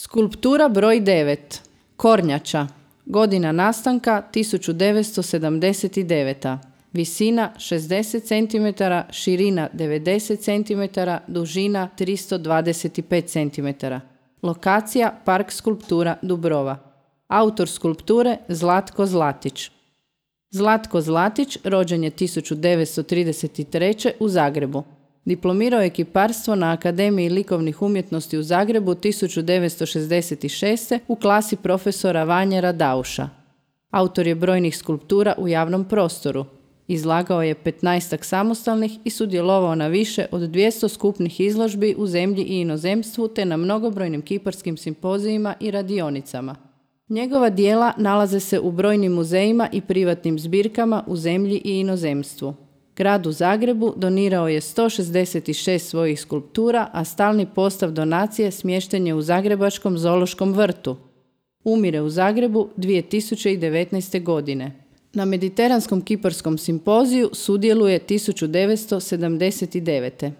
Skulptura broj 9. Kornjača. Godina nastanka 1979. Visina 60 cm, širina 90 cm, dužina 325 cm. Lokacija Park skulptura Dubrova. Autor skulpture Zlatko Zlatić. Zlatko Zlatić rođen je 1933. u Zagrebu. Diplomirao je kiparstvo na Akademiji likovnih umjetnosti u Zagrebu 1966. u klasi profesora Vanje Radauša. Autor je brojnih skulptura u javnom prostoru. Izlagao je 15 samostalnih i sudjelovao na više od 200 skupnih izložbi u zemlji i inozemstvu te na mnogobrojnim kiparskim simpozijima i radionicama. Njegova djela nalaze se u brojnim muzejima i privatnim zbirkama u zemlji i inozemstvu. Gradu Zagrebu donirao je 166 svojih skulptura, a stalni postav donacije smješten je u Zagrebačkom zoološkom vrtu. Umire u Zagrebu 2019. godine. Na Mediteranskom kiparskom simpoziju sudjeluje 1979.